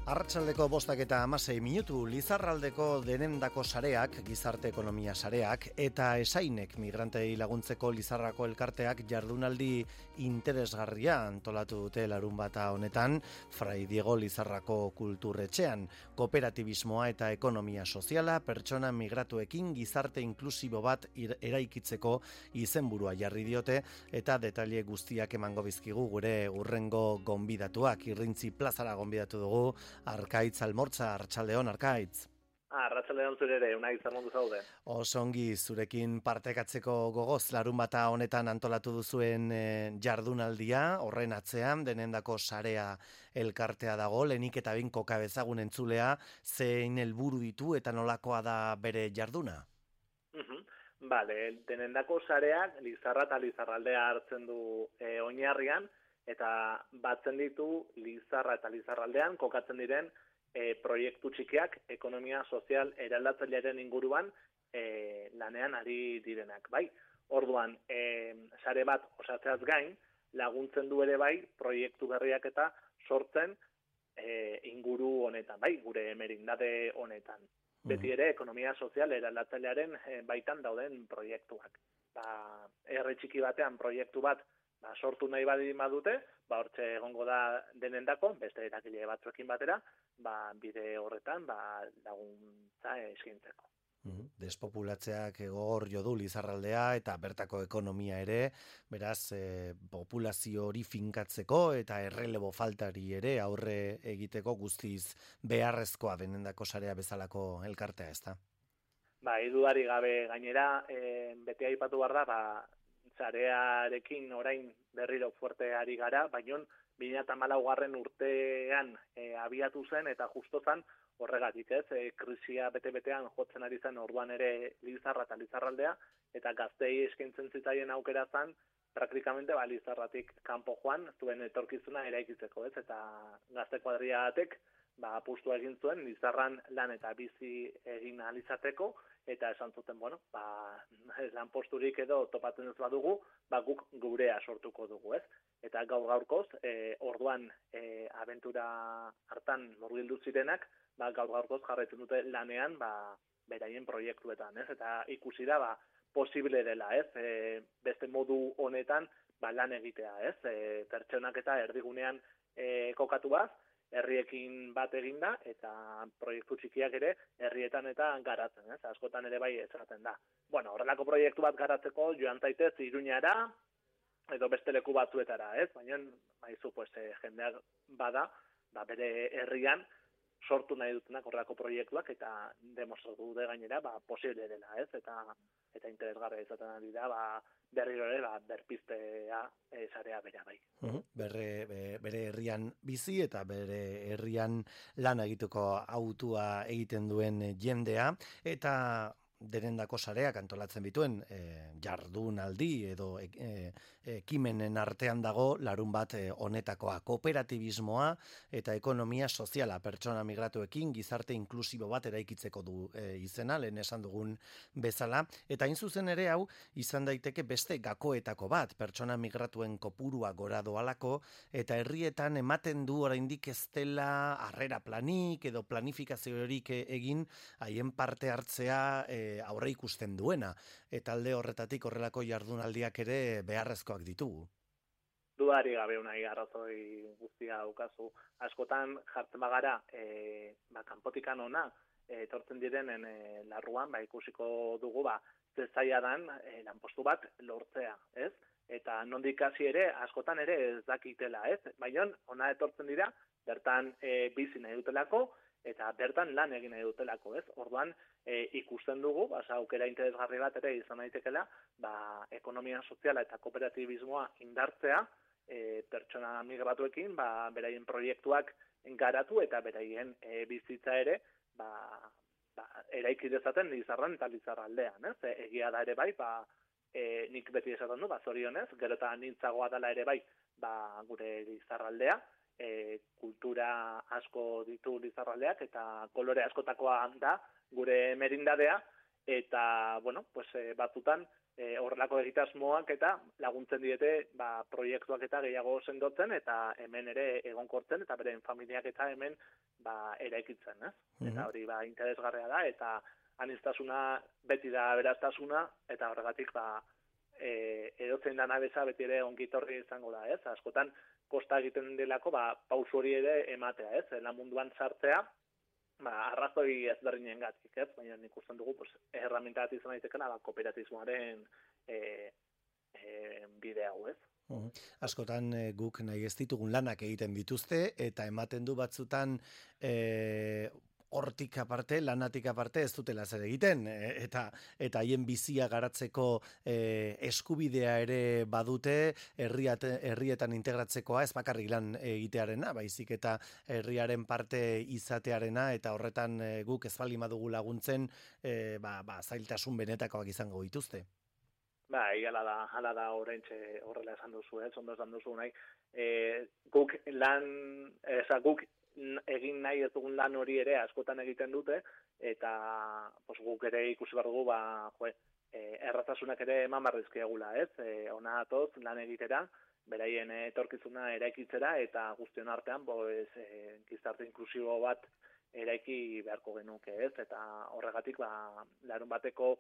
Arratsaldeko 5:16 Lizarraldeko denendako sareak, gizarte ekonomia sareak eta esainek migrantei laguntzeko Lizarrako elkarteak jardunaldi interesgarria antolatu dute larunbata honetan Fray Diego Lizarrako kulturretxean. Kooperatibismoa eta ekonomia soziala pertsona migratuekin gizarte inklusibo bat eraikitzeko izenburua jarri diote eta detaile guztiak emango bizkigu gure urrengo gonbidatuak. Irrintzi plazara gonbidatu dugu Arkaitz Almortza, Arratsaldeon Arkaitz. Arratsaldeon zure ere, unai zermondu zaude. Osongi, zurekin partekatzeko gogoz larunbata honetan antolatu duzuen jardunaldia, horren atzean denendako sarea elkartea dago, lehenik eta behin koka bezagun entzulea, zein helburu ditu eta nolakoa da bere jarduna? Denendako sareak Lizarra eta Lizarraldea hartzen du oinarrian, eta batzen ditu Lizarra eta Lizarraldean kokatzen diren proiektu txikiak ekonomia sozial eraldatzailearen inguruan lanean ari direnak. Bai, orduan, sare bat osatzeaz gain, laguntzen du ere bai proiektu berriak eta sortzen inguru honetan, bai, gure merindade honetan. Beti ere ekonomia sozial eraldatzailearen baitan dauden proiektuak. Herri txiki batean proiektu bat sortu nahi badute, hortxe egongo da denendako, beste erakile batzuekin batera, bide horretan laguntza eskaintzeko. Despopulatzeak gogor jo du Lizarraldea eta bertako ekonomia ere, beraz populazio hori finkatzeko eta errelebo faltari ere aurre egiteko guztiz beharrezkoa denendako sarea bezalako elkartea, ezta? Dudari gabe gainera, beti aipatu behar da, sarearekin orain berriro fuerte ari gara, baina 2014 urtean abiatu zen eta justo zen horregatik, krisia bete-betean jotzen ari zen orduan ere Lizarra eta Lizarraldea, eta gaztei eskaintzen zitzaien aukera zen, praktikamente Lizarratik kanpo joan, zuen etorkizuna eraikitzeko, eta gazte kuadriatek apustua egin zuen Lizarran lan eta bizi egin ahal izateko, eta esan zuten, lan posturik edo topatzen ez badugu, guk gurea sortuko dugu, ez? Eta gaur-gaurkoz, orduan abentura hartan murgildu zirenak, gaur-gaurkoz jarraitzen dute lanean, beraien proiektuetan, ez? Eta ikusi da, posible dela, ez? Beste modu honetan, lan egitea, ez? Pertsonak eta erdigunean kokatu baz, herriekin bat eginda, eta proiektu txikiak ere herrietan eta garatzen, ez? Askotan ere bai esaten da. Horrelako proiektu bat garatzeko joan zaitez Iruñara edo beste leku batzuetara, ez? Baina, jendeak bada, bere herrian sortu nahi dutenak horrelako proiektuak eta demostratu dute gainera, posible dela, ez? Eta interesgarria izaten ari da, berriro ere, berpiztea sarea bera bai. Bere herrian bizi eta bere herrian lan egiteko autua egiten duen jendea, eta denendako sareak antolatzen bituen jardunaldi edo ekimenen artean dago larun bat honetakoa, kooperatibismoa eta ekonomia soziala pertsona migratuekin gizarte inklusibo bat eraikitzeko du izena, lehen esan dugun bezala, eta hain zuzen ere hau izan daiteke beste gakoetako bat, pertsona migratuen kopurua gora doalako eta herrietan ematen du oraindik ez dela harrera planik edo planifikaziorik egin haien parte hartzea aurre ikusten duena, eta alde horretatik horrelako jardunaldiak ere beharrezkoak ditugu. Dudari gabe unai arrazoi guztia daukazu. Askotan jartzen bagara, kanpotikan ona, etortzen direnen larruan, ikusiko dugu, ze zaila dan lanpostu bat lortzea, ez? Eta nondik hasi ere, askotan ere ez dakitela, ez? Baina ona etortzen dira, bertan bizi nahi dutelako, eta bertan lan egin nahi dutelako, ez? Orduan, ikusten dugu, aukera interesgarri bat ere izan daitekela, ekonomia soziala eta kooperatibismoa indartzea, pertsona migratuekin, beraien proiektuak garatu eta beraien bizitza ere, eraiki dezaten Lizarran eta Lizarraldean, ez? Egia da ere bai, nik beti esaten du, zorionez, gero eta nintzagoa dela ere bai, gure Lizarraldea, kultura asko ditu Lizarraldeak eta kolore askotakoa da gure merindadea, eta, bueno, pues, batzutan, horrelako egitasmoak eta laguntzen diete proiektuak eta gehiago sendotzen eta hemen ere egonkortzen eta beren familiak eta hemen eraikitzen, ez? Eta hori interesgarria da eta aniztasuna beti da aberastasuna eta horregatik edozein dana beza beti ere ongitorri izango da, ez? Askotan kosta egiten delako pausu hori ere ematea, ez? Lan munduan sartzea arrazoi ezberdinengatik, ez? Baina nik usten dugu, herramienta bat izan daitekena kooperatismoaren bide hau, ez? Askotan guk nahi ez ditugun lanak egiten dituzte, eta ematen du batzutan hortik aparte, lanatik aparte ez dutela zer egiten, eta haien bizia garatzeko eskubidea ere badute, herrietan integratzekoa, ez bakarrik lan egitearena, baizik eta herriaren parte izatearena, eta horretan guk ez baldin badugu laguntzen, zailtasun benetakoak izango dituzte. Hala da oraintxe horrela esan duzu, ondo esan duzu nahi. Guk egin nahi ez dugun lan hori ere askotan egiten dute, eta guk ere ikusi behar dugu, erraztasunak ere eman barrizkiagula, ez? Ona atoz lan egitera, beraien etorkizuna eraikitzera, eta guztion artean, gizarte inklusibo bat eraiki beharko genuke, ez? Eta horregatik, larun bateko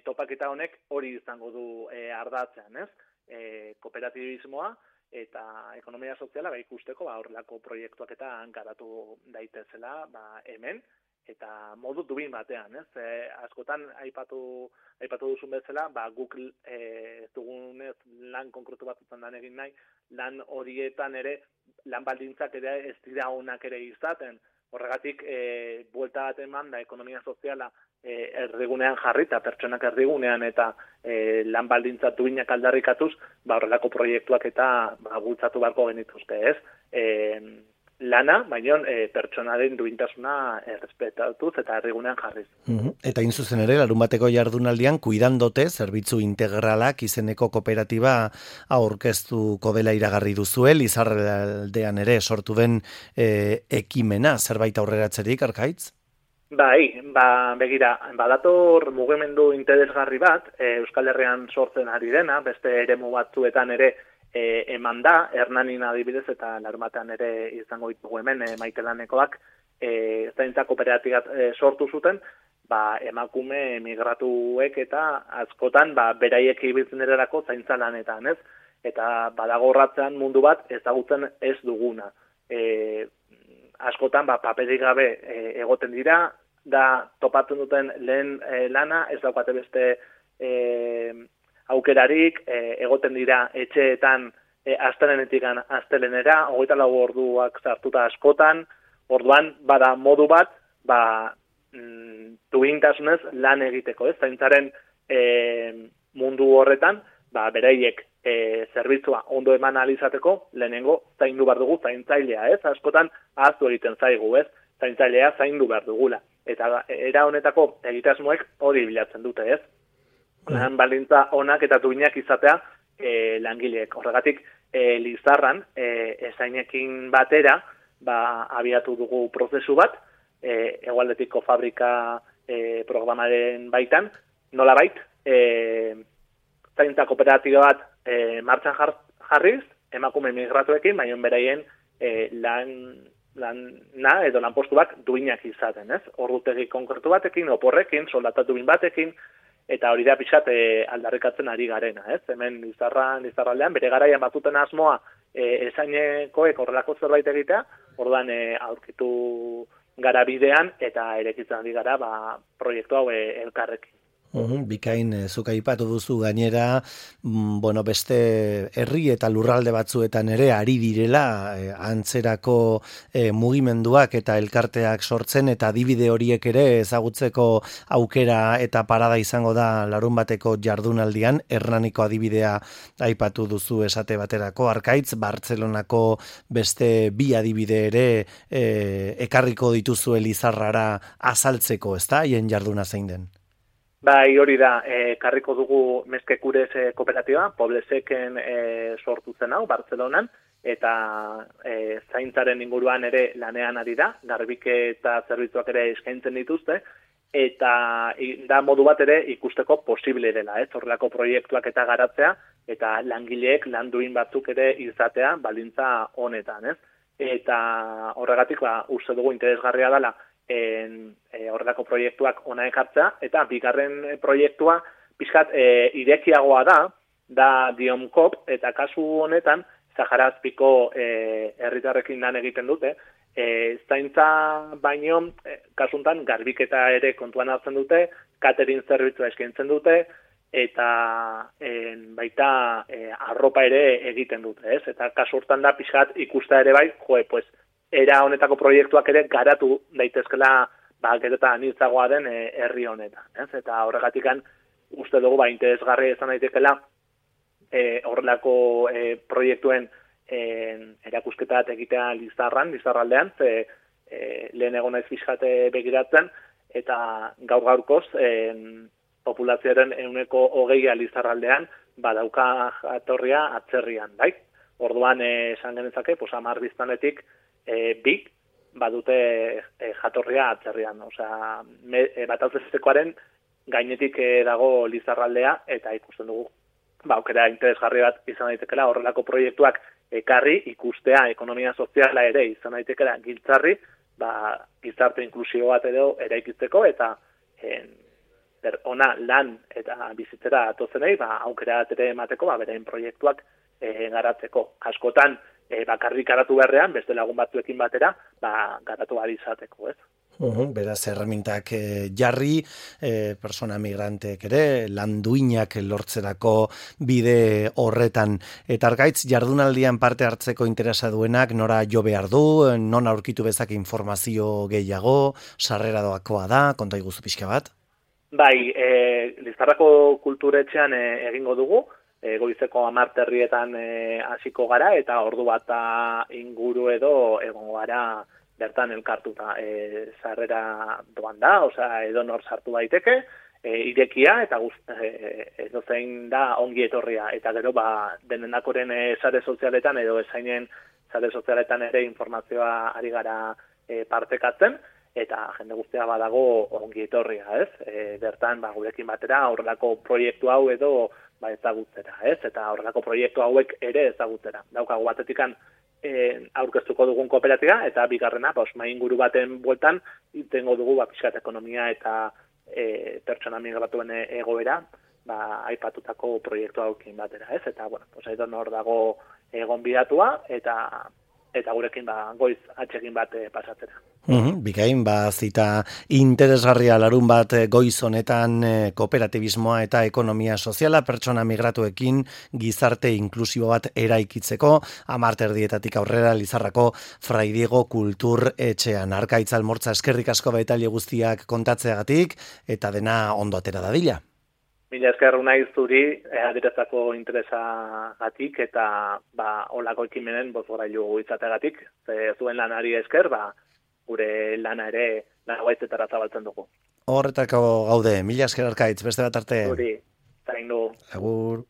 topaketa honek hori izango du ardatzean, ez? Kooperatibismoa eta ekonomia soziala ikusteko horrelako proiektuak eta garatu daitezela hemen, eta modu dubin batean, ez? Askotan aipatu duzun bezala, guk dugunez lan konkretu batzutan lan egin nahi, lan horietan ere, lan baldintzak ere ez dira onak ere izaten. Horregatik, buelta bat eman da ekonomia soziala erdigunean jarrita, pertsonak erdigunean eta lan baldintza duinak aldarrikatuz, horrelako proiektuak eta bultzatu beharko genituzke, ez? Lana, baina pertsonaren duintasuna errespetatuz eta erdigunean jarriz. Eta zuzen ere, larun bateko jardunaldian, Kuidandote, zerbitzu integralak izeneko kooperatiba aurkeztuko dela iragarri duzuel, Lizarraldean ere sortu den ekimena, zerbait aurreratzerik, Arkaitz? Begira, badator mugimendu interesgarri bat, Euskal Herrian sortzen ari dena, beste eremu batzuetan ere eman da, Hernanin adibidez eta larunbatean ere izango ditugu hemen Maitelanekoak zaintza kooperatibat sortu zuten, emakume migratuek eta askotan beraiek ibiltzen ererako zaintza lanetan, ez? Eta badago horratzean mundu bat ezagutzen ez duguna. Askotan paperik gabe egoten dira, da topatzen duten lehen lana, ez daukate beste aukerarik, egoten dira etxeetan astelenetik astelenera, 24 orduak sartuta askotan, orduan bada modu bat, duintasunez lan egiteko, ez? Zaintzaren mundu horretan, beraiek zerbitzua ondo eman alizateko, lehenengo zaindu behar dugu zaintzailea, ez? Askotan ahaztu egiten zaigu, ez? Zaintzailea zaindu behar dugula. Eta era honetako egitasmoek hori bilatzen dute, ez? Lan baldintza onak eta duinak izatea langileek. Horregatik, Lizarran, ezainekin batera, abiatu dugu prozesu bat, Hegoaldetiko fabrika programaren baitan, nolabait, zaintza kooperatiba bat martxan jarriz, emakume migratuekin, baina beraien lana edo lanpostuak duinak izaten, ez? Ordutegi konkretu batekin, oporrekin, soldata duin batekin, eta hori da pixat aldarrikatzen ari garena, ez? Hemen Lizarraldean, bere garaian batuten asmoa ezainekoek horrelako zerbait egitea, orduan aurkitu gara bidean eta erekitzen ari gara proiektu hau elkarrekin. Bikain, zuk aipatu duzu gainera, beste herri eta lurralde batzuetan ere ari direla antzerako mugimenduak eta elkarteak sortzen, eta adibide horiek ere ezagutzeko aukera eta parada izango da larun bateko jardunaldian. Hernaniko adibidea aipatu duzu esate baterako, Arkaitz, Bartzelonako beste bi adibide ere ekarriko dituzu Lizarrara azaltzeko, ezta, haien jarduna zein den? Hori da, karriko dugu Mezkekurez kooperatiba, Pobleseken sortu zen hau, Bartzelonan, eta zaintzaren inguruan ere lanean ari da, garbike eta zerbitzuak ere eskaintzen dituzte, eta da modu bat ere ikusteko posible dela, horrelako proiektuak eta garatzea, eta langileek lan duin batzuk ere izatea baldintza honetan, Eta horregatik, uste dugu interesgarria dela horrelako proiektuak ona ekartzea, eta bigarren proiektua pixkat irekiagoa da Diomkop, eta kasu honetan, Sahara Azpiko herritarrekin lan egiten dute, zaintza baino, kasuntan, garbiketa ere kontuan hartzen dute, catering zerbitzua eskaintzen dute, eta baita arropa ere egiten dute, Eta kasu hortan da pixkat ikusta ere bai, era honetako proiektuak ere garatu daitezkela gero eta anitzagoa den herri honetan, Eta horregatikan uste dugu interesgarria izan daitekela horrelako proiektuen erakusketa bat egitea Lizarraldean, lehen egon naiz pixkate begiratzen, eta gaur-gaurkoz populazioaren 20% Lizarraldean badauka jatorria atzerrian, bai? Orduan esan genezake, 10 biztanletik 2 badute jatorria atzerrian, osea, batauzezekoaren gainetik dago Lizarraldea, eta ikusten dugu aukera interesgarri bat izan daitekela horrelako proiektuak ekarri ikustea ekonomia soziala ere izan daitekela giltzarri, gizarte inklusio bat edo eraikitzeko eta ona lan eta bizitzera atozenei aukera bat ere emateko beraien proiektuak garatzeko. Askotan bakarrik garatu beharrean, beste lagun batzuekin batera, garatu ahal izateko, Beraz, erremintak jarri, persona migrantek ere, landuinak lortzerako bide horretan. Eta argaitz, jardunaldian parte hartzeko interesa duenak, nora jo behar du, non aurkitu bezak informazio gehiago, sarrera doakoa da, konta iguzu pixka bat? Bai, Lizarrako kulturetxean egingo dugu, goizeko 10 herrietan hasiko gara, eta ordu bat inguru edo egongo gara bertan elkartuta. Sarrera doan da, edo nor sartu daiteke, irekia, eta edo zein da ongi etorria. Eta gero, denenakoren sare sozialetan, edo ezainen sare sozialetan ere informazioa ari gara partekatzen, eta jende guztia badago ongi etorria, bertan, gurekin batera, horrelako proiektu hau edo ezagutzera, Eta horrelako proiektu hauek ere ezagutzera. Daukagu batetikan aurkeztuko dugun kooperatiba, eta bigarrena, mahai inguru baten bueltan, itengo dugu pixkat ekonomia eta pertsona migratuen egoera, aipatutako proiektu hauekin batera, Eta, edo nor dago gonbidatua, eta gurekin goiz atxegin bat pasatzera. Bikain, zita interesgarria larun bat goiz honetan kooperatibismoa eta ekonomia soziala pertsona migratuekin gizarte inklusibo bat eraikitzeko 10 aurrera Lizarrako Fray Diego Kultur Etxean. Arkaitz Almortza, eskerrik asko baitaile guztiak kontatzeagatik eta dena ondo atera dadila. Mila esker naiz zuri adierazako interesagatik eta holako ekimenen bozgorailu izateagatik. Zuen lanari esker, gure lana ere gaitzetara zabaltzen dugu. Horretako gaude, mila esker Arkaitz, beste bat arte. Zuri, zaindu. Agur.